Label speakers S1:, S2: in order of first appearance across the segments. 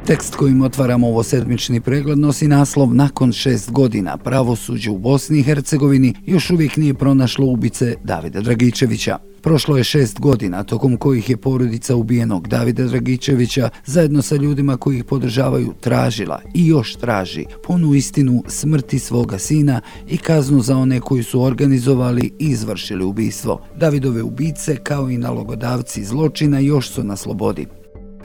S1: Tekst kojim otvaramo ovo sedmični pregled nosi naslov "Nakon 6 godina pravosuđe u Bosni i Hercegovini još uvijek nije pronašlo ubice Davida Dragičevića". Prošlo je 6 godina, tokom kojih je porodica ubijenog Davida Dragičevića zajedno sa ljudima koji ih podržavaju tražila i još traži punu istinu smrti svoga sina i kaznu za one koji su organizovali i izvršili ubistvo. Davidove ubice, kao i nalogodavci zločina, još su na slobodi.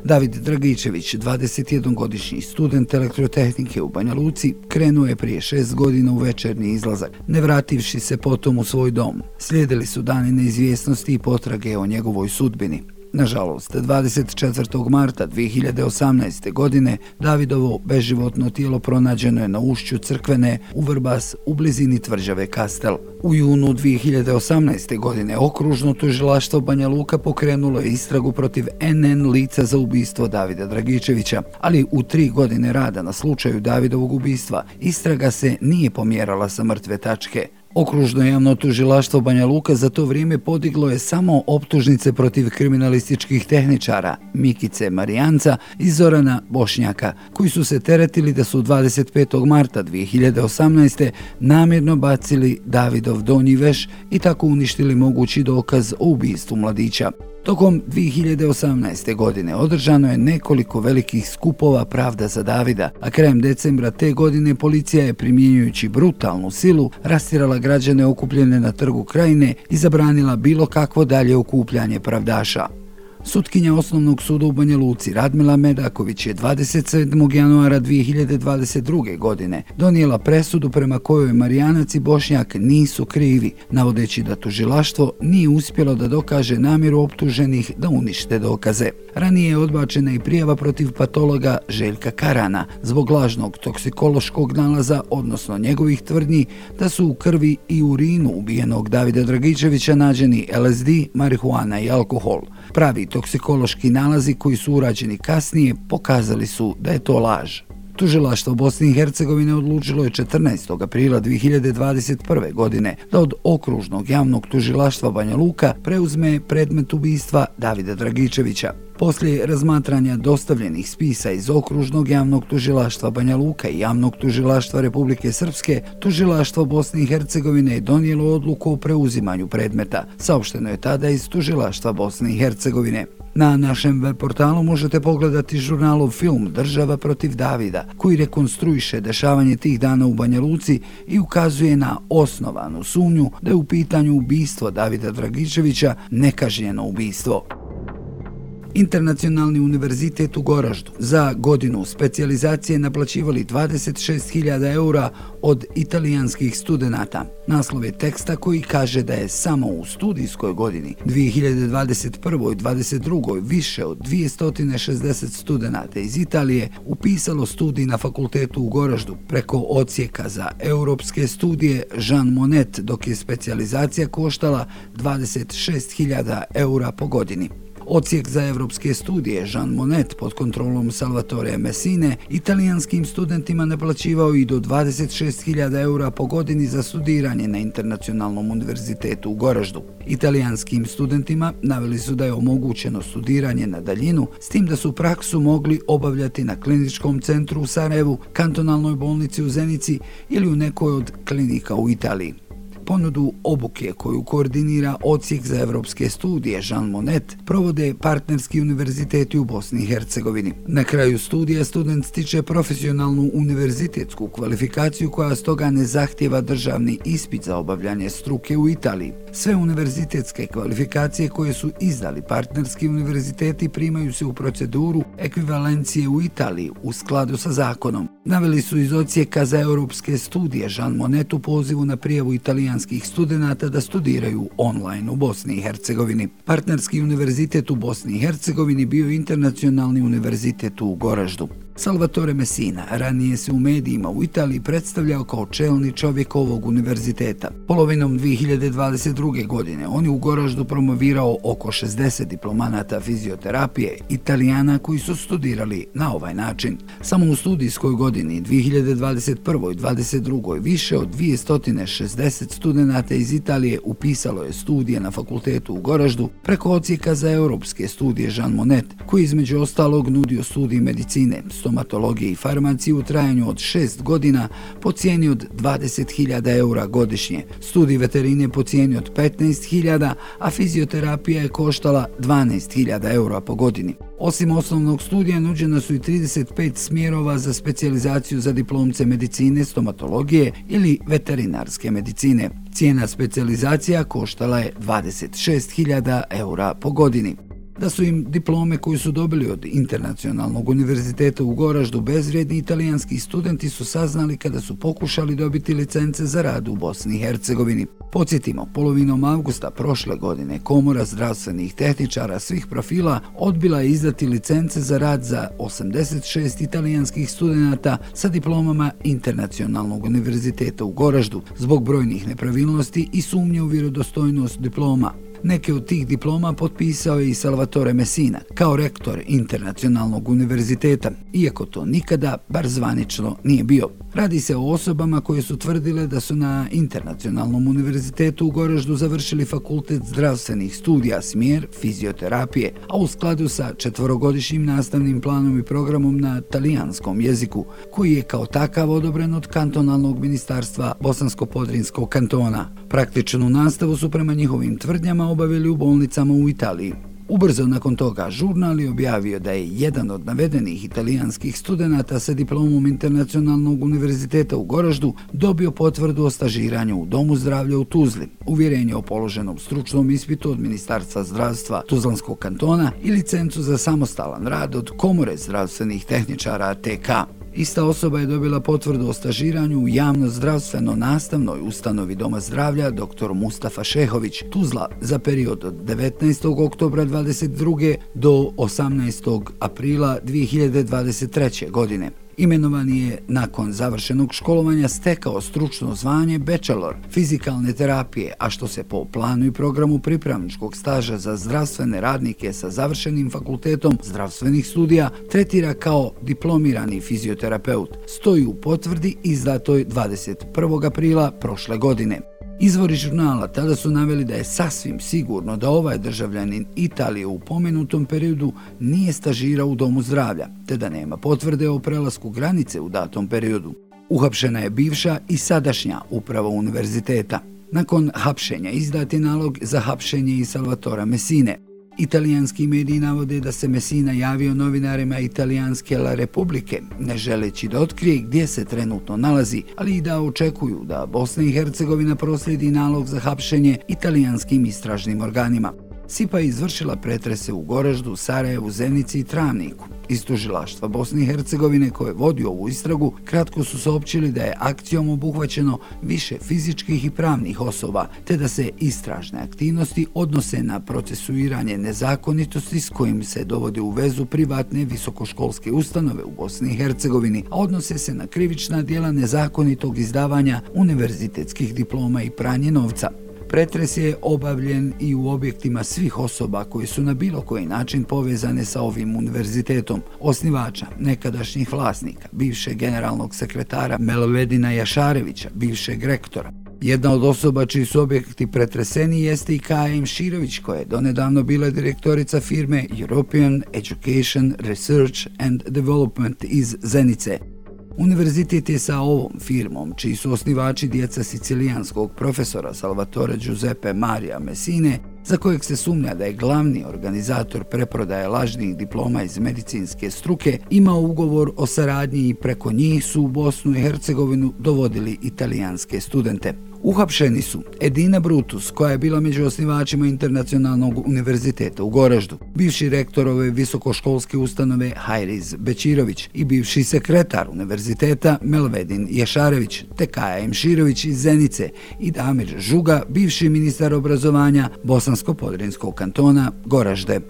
S1: David Dragičević, 21-godišnji student elektrotehnike u Banja Luci, krenuo je prije 6 godina u večernji izlazak, ne vrativši se potom u svoj dom. Slijedili su dani neizvjesnosti i potrage o njegovoj sudbini. Nažalost, 24. marta 2018. godine Davidovo beživotno tijelo pronađeno je na ušću Crkvene u Vrbas u blizini tvrđave Kastel. U junu 2018. godine okružno tužilaštvo Banja Luka pokrenulo je istragu protiv NN lica za ubistvo Davida Dragičevića, ali u 3 godine rada na slučaju Davidovog ubistva istraga se nije pomjerala sa mrtve tačke. Okružno javno tužilaštvo Banja Luka za to vrijeme podiglo je samo optužnice protiv kriminalističkih tehničara Mikice Marijanca i Zorana Bošnjaka, koji su se teretili da su 25. marta 2018. namjerno bacili Davidov donji veš i tako uništili mogući dokaz o ubistvu mladića. Tokom 2018. godine održano je nekoliko velikih skupova Pravda za Davida, a krajem decembra te godine policija je, primjenjujući brutalnu silu, rastjerala građane okupljene na Trgu Krajine i zabranila bilo kakvo dalje okupljanje pravdaša. Sutkinja Osnovnog suda u Banja Luci Radmila Medaković je 27. januara 2022. godine donijela presudu prema kojoj Marijanac i Bošnjak nisu krivi, navodeći da tužilaštvo nije uspjelo da dokaže namjeru optuženih da unište dokaze. Ranije je odbačena i prijava protiv patologa Željka Karana zbog lažnog toksikološkog nalaza, odnosno njegovih tvrdnji da su u krvi i urinu ubijenog Davida Dragičevića nađeni LSD, marihuana i alkohol. Pravi toksikološki nalazi koji su urađeni kasnije pokazali su da je to laž. Tužilaštvo Bosne i Hercegovine odlučilo je 14. aprila 2021. godine da od okružnog javnog tužilaštva Banja Luka preuzme predmet ubistva Davida Dragičevića. Poslije razmatranja dostavljenih spisa iz okružnog javnog tužilaštva Banja Luka i javnog tužilaštva Republike Srpske, tužilaštvo Bosne i Hercegovine je donijelo odluku o preuzimanju predmeta, saopšteno je tada iz tužilaštva Bosne i Hercegovine. Na našem web portalu možete pogledati žurnalov film "Država protiv Davida", koji rekonstruiše dešavanje tih dana u Banja Luci i ukazuje na osnovanu sumnju da je u pitanju ubistvo Davida Dragičevića nekažnjeno ubistvo. Internacionalni univerzitet u Goraždu za godinu specijalizacije naplaćivali 26.000 eura od italijanskih studenata. Naslov je teksta koji kaže da je samo u studijskoj godini 2021-2022 više od 260 studenata iz Italije upisalo studij na fakultetu u Goraždu preko odsjeka za europske studije Jean Monnet, dok je specijalizacija koštala 26.000 eura po godini. Odsjek za evropske studije Jean Monnet pod kontrolom Salvatore Messine italijanskim studentima naplaćivao i do 26.000 eura po godini za studiranje na Internacionalnom univerzitetu u Goraždu. Italijanskim studentima naveli su da je omogućeno studiranje na daljinu, s tim da su praksu mogli obavljati na kliničkom centru u Sarajevu, kantonalnoj bolnici u Zenici ili u nekoj od klinika u Italiji. Ponudu obuke koju koordinira odsjek za evropske studije Jean Monnet provode partnerski univerziteti u Bosni i Hercegovini. Na kraju studija student stiče profesionalnu univerzitetsku kvalifikaciju koja stoga ne zahtijeva državni ispit za obavljanje struke u Italiji. Sve univerzitetske kvalifikacije koje su izdali partnerski univerziteti primaju se u proceduru ekvivalencije u Italiji u skladu sa zakonom. Naveli su iz odsjeka za europske studije Jean Monnet u pozivu na prijavu italijanskih studenata da studiraju online u Bosni i Hercegovini. Partnerski univerzitet u Bosni i Hercegovini bio Internacionalni univerzitet u Goraždu. Salvatore Messina ranije se u medijima u Italiji predstavljao kao čelni čovjek ovog univerziteta. Polovinom 2022. godine on je u Goraždu promovirao oko 60 diplomanata fizioterapije Italijana koji su studirali na ovaj način. Samo u studijskoj godini 2021-2022 više od 260 studenata iz Italije upisalo je studije na fakultetu u Goraždu preko odsjeka za europske studije Jean Monnet, koji između ostalog nudio studij medicine, stomatologije i farmaciji u trajanju od 6 godina po cijeni od 20.000 eura godišnje. Studij veterine po cijeni od 15.000, a fizioterapija je koštala 12.000 eura po godini. Osim osnovnog studija, nuđena su i 35 smjerova za specijalizaciju za diplomce medicine, stomatologije ili veterinarske medicine. Cijena specijalizacija koštala je 26.000 eura po godini. Da su im diplome koju su dobili od Internacionalnog univerziteta u Goraždu bezvrijedni, italijanski studenti su saznali kada su pokušali dobiti licence za rad u Bosni i Hercegovini. Podsjetimo, polovinom avgusta prošle godine Komora zdravstvenih tehničara svih profila odbila je izdati licence za rad za 86 italijanskih studenata sa diplomama Internacionalnog univerziteta u Goraždu zbog brojnih nepravilnosti i sumnje u vjerodostojnost diploma. Neke od tih diploma potpisao je i Salvatore Messina kao rektor Internacionalnog univerziteta, iako to nikada, bar zvanično, nije bio. Radi se o osobama koje su tvrdile da su na Internacionalnom univerzitetu u Goraždu završili fakultet zdravstvenih studija, smjer fizioterapije, a u skladu sa 4-godišnjim nastavnim planom i programom na talijanskom jeziku, koji je kao takav odobren od kantonalnog ministarstva Bosansko-Podrinskog kantona. Praktičnu nastavu su prema njihovim tvrdnjama obavili u bolnicama u Italiji. Ubrzo nakon toga žurnal je objavio da je jedan od navedenih italijanskih studenata sa diplomom Internacionalnog univerziteta u Goraždu dobio potvrdu o stažiranju u Domu zdravlja u Tuzli, uvjerenje o položenom stručnom ispitu od Ministarstva zdravstva Tuzlanskog kantona i licencu za samostalan rad od Komore zdravstvenih tehničara TK. Ista osoba je dobila potvrdu o stažiranju u javno-zdravstveno-nastavnoj ustanovi Doma zdravlja dr. Mustafa Šehović, Tuzla, za period od 19. oktobra 2022. do 18. aprila 2023. godine. Imenovan je nakon završenog školovanja stekao stručno zvanje bachelor fizikalne terapije, a što se po planu i programu pripravničkog staža za zdravstvene radnike sa završenim fakultetom zdravstvenih studija tretira kao diplomirani fizioterapeut, stoji u potvrdi izdatoj 21. aprila prošle godine. Izvori žurnala tada su naveli da je sasvim sigurno da ovaj državljanin Italije u pomenutom periodu nije stažirao u Domu zdravlja, te da nema potvrde o prelasku granice u datom periodu. Uhapšena je bivša i sadašnja uprava univerziteta. Nakon hapšenja izdat je nalog za hapšenje i Salvatora Messine. Italijanski mediji navode da se Messina javio novinarima italijanske La Republike, ne želeći da otkrije gdje se trenutno nalazi, ali i da očekuju da Bosna i Hercegovina proslijedi nalog za hapšenje italijanskim istražnim organima. SIPA je izvršila pretrese u Goraždu, Sarajevu, Zenici i Travniku. Iz tužilaštva Bosne i Hercegovine koje vodi ovu istragu kratko su saopćili da je akcijom obuhvaćeno više fizičkih i pravnih osoba, te da se istražne aktivnosti odnose na procesuiranje nezakonitosti s kojim se dovode u vezu privatne visokoškolske ustanove u Bosni i Hercegovini, a odnose se na krivična djela nezakonitog izdavanja univerzitetskih diploma i pranje novca. Pretres je obavljen i u objektima svih osoba koji su na bilo koji način povezane sa ovim univerzitetom, osnivača, nekadašnjih vlasnika, bivšeg generalnog sekretara Melvedina Jašarevića, bivšeg rektora. Jedna od osoba čiji su objekti pretreseni jeste i Kaja Imširović, koja je donedavno bila direktorica firme European Education Research and Development iz Zenice. Univerzitet je sa ovom firmom, čiji su osnivači djeca sicilijanskog profesora Salvatore Giuseppe Maria Messine, za kojeg se sumnja da je glavni organizator preprodaje lažnih diploma iz medicinske struke, imao ugovor o saradnji i preko njih su u Bosnu i Hercegovinu dovodili italijanske studente. Uhapšeni su Edina Brutus, koja je bila među osnivačima Internacionalnog univerziteta u Goraždu, bivši rektor ove visokoškolske ustanove Hajriz Bečirović i bivši sekretar univerziteta Melvedin Jašarević, te Kaja Imširović iz Zenice i Damir Žuga, bivši ministar obrazovanja Bosansko-Podrinskog kantona Goražde.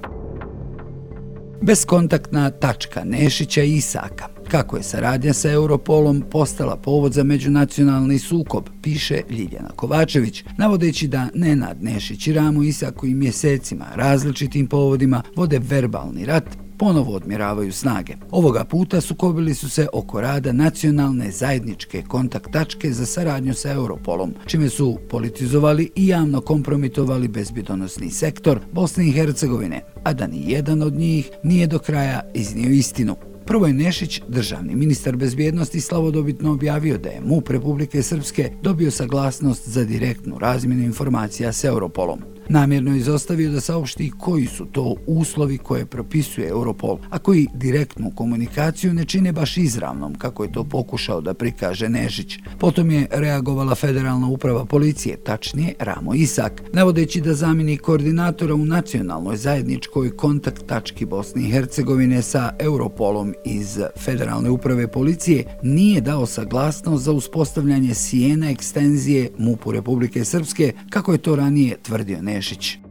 S1: Beskontaktna tačka Nešića i Isaka. Kako je saradnja sa Europolom postala povod za međunacionalni sukob, piše Ljiljana Kovačević, navodeći da Nenad Nešić i Ramo Isak koji mjesecima različitim povodima vode verbalni rat, ponovo odmjeravaju snage. Ovoga puta sukobili su se oko rada nacionalne zajedničke kontakt tačke za saradnju sa Europolom, čime su politizovali i javno kompromitovali bezbjedonosni sektor Bosne i Hercegovine, a da ni jedan od njih nije do kraja iznio istinu. Prvo je Nešić, državni ministar bezbjednosti, slavodobitno objavio da je MUP Republike Srpske dobio saglasnost za direktnu razmjenu informacija s Europolom. Namjerno je izostavio da saopšti koji su to uslovi koje propisuje Europol, a koji direktnu komunikaciju ne čine baš izravnom, kako je to pokušao da prikaže Nešić. Potom je reagovala Federalna uprava policije, tačnije Ramo Isak, navodeći da zamjenik koordinatora u nacionalnoj zajedničkoj kontakt tački Bosne i Hercegovine sa Europolom iz Federalne uprave policije nije dao saglasnost za uspostavljanje sjena ekstenzije MUP-u Republike Srpske, kako je to ranije tvrdio Nešić.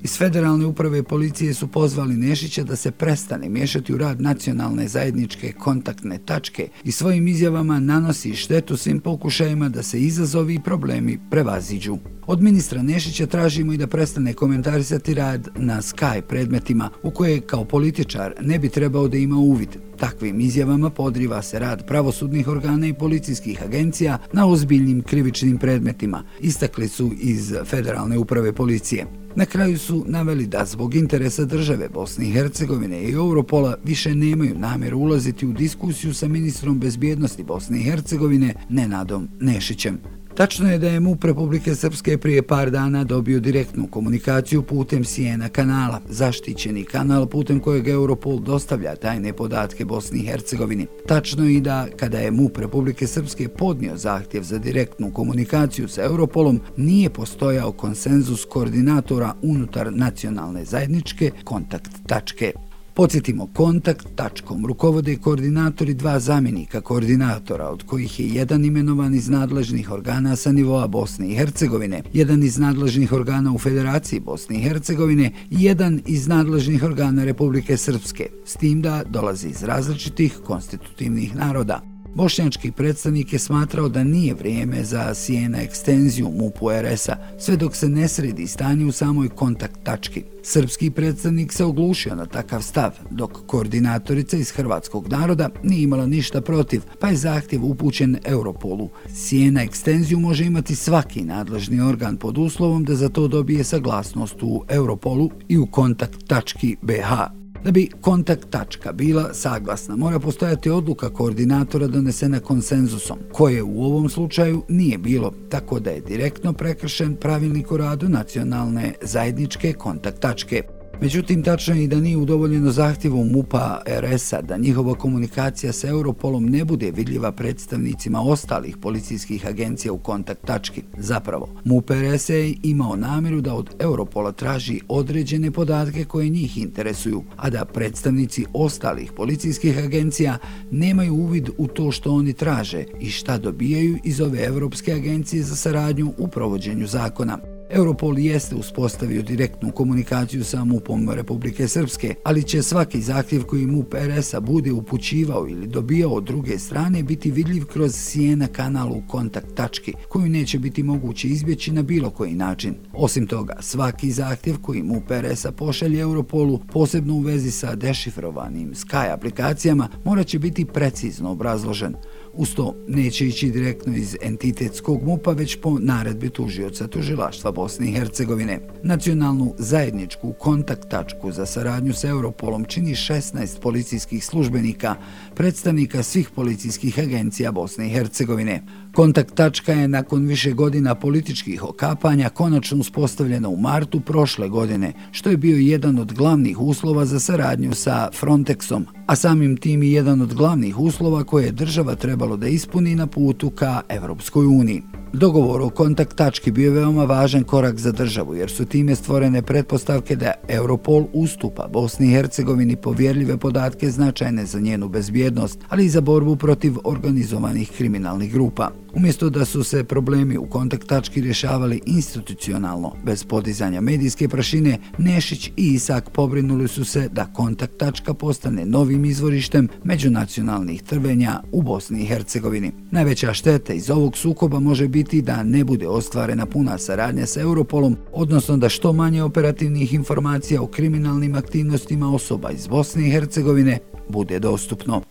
S1: Iz Federalne uprave policije su pozvali Nešića da se prestane miješati u rad nacionalne zajedničke kontaktne tačke i svojim izjavama nanosi štetu svim pokušajima da se izazovi i problemi prevaziđu. Od ministra Nešića tražimo i da prestane komentarisati rad na Sky predmetima u koje kao političar ne bi trebao da ima uvid. Takvim izjavama podriva se rad pravosudnih organa i policijskih agencija na ozbiljnim krivičnim predmetima, istakli su iz Federalne uprave policije. Na kraju su naveli da zbog interesa države Bosne i Hercegovine i Europola više nemaju namjeru ulaziti u diskusiju sa ministrom bezbjednosti Bosne i Hercegovine Nenadom Nešićem. Tačno je da je MUP Republike Srpske prije par dana dobio direktnu komunikaciju putem Sijena kanala, zaštićeni kanal putem kojeg Europol dostavlja tajne podatke Bosni i Hercegovini. Tačno je i da kada je MUP Republike Srpske podnio zahtjev za direktnu komunikaciju sa Europolom, nije postojao konsenzus koordinatora unutar nacionalne zajedničke kontakt tačke. Podsjetimo, kontakt tačkom rukovode koordinatori dva zamjenika koordinatora, od kojih je jedan imenovan iz nadležnih organa sa nivoa Bosne i Hercegovine, jedan iz nadležnih organa u Federaciji Bosne i Hercegovine i jedan iz nadležnih organa Republike Srpske, s tim da dolazi iz različitih konstitutivnih naroda. Bošnjački predstavnik je smatrao da nije vrijeme za sjena ekstenziju MUP-u RS-a, sve dok se ne sredi stanje u samoj kontakt tački. Srpski predstavnik se oglušio na takav stav, dok koordinatorica iz hrvatskog naroda nije imala ništa protiv, pa je zahtjev upućen Europolu. Sjena ekstenziju može imati svaki nadležni organ pod uslovom da za to dobije saglasnost u Europolu i u kontakt tački BH. Da bi kontakt tačka bila saglasna, mora postojati odluka koordinatora donesena konsenzusom, koje u ovom slučaju nije bilo, tako da je direktno prekršen pravilnik o radu nacionalne zajedničke kontakt tačke. Međutim, tačno je i da nije udovoljeno zahtjevu MUP-a RS-a da njihova komunikacija sa Europolom ne bude vidljiva predstavnicima ostalih policijskih agencija u kontakt tački. Zapravo, MUP RS je imao namjeru da od Europola traži određene podatke koje njih interesuju, a da predstavnici ostalih policijskih agencija nemaju uvid u to što oni traže i šta dobijaju iz ove Europske agencije za saradnju u provođenju zakona. Europol jeste uspostavio direktnu komunikaciju sa MUP-om Republike Srpske, ali će svaki zahtjev koji MUP RS-a bude upućivao ili dobijao od druge strane biti vidljiv kroz sjena kanal u kontakt tački, koju neće biti moguće izbjeći na bilo koji način. Osim toga, svaki zahtjev koji MUP RS-a pošalje Europolu, posebno u vezi sa dešifrovanim Sky aplikacijama, morat će biti precizno obrazložen. Uz to neće ići direktno iz entitetskog MUP-a, već po naredbi tužioca tužilaštva Bosne i Hercegovine. Nacionalnu zajedničku kontakt tačku za saradnju sa Europolom čini 16 policijskih službenika, predstavnika svih policijskih agencija Bosne i Hercegovine. Kontakt tačka je nakon više godina političkih okapanja konačno uspostavljena u martu prošle godine, što je bio jedan od glavnih uslova za saradnju sa Frontexom, a samim tim i jedan od glavnih uslova koje je država trebalo da ispuni na putu ka Evropskoj uniji. Dogovor o kontakt tački bio je veoma važan korak za državu, jer su time stvorene pretpostavke da Europol ustupa Bosni i Hercegovini povjerljive podatke značajne za njenu bezbjednost, ali i za borbu protiv organizovanih kriminalnih grupa. Umjesto da su se problemi u kontakt tački rješavali institucionalno, bez podizanja medijske prašine, Nešić i Isak pobrinuli su se da kontakt tačka postane novim izvorištem međunacionalnih trvenja u Bosni i Hercegovini. Najveća šteta iz ovog sukoba može biti da ne bude ostvarena puna saradnja sa Europolom, odnosno da što manje operativnih informacija o kriminalnim aktivnostima osoba iz Bosne i Hercegovine bude dostupno.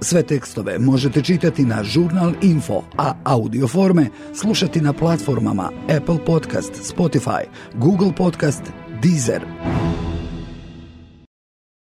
S1: Sve tekstove možete čitati na Žurnal Info, a audio forme slušati na platformama Apple Podcast, Spotify, Google Podcast, Deezer.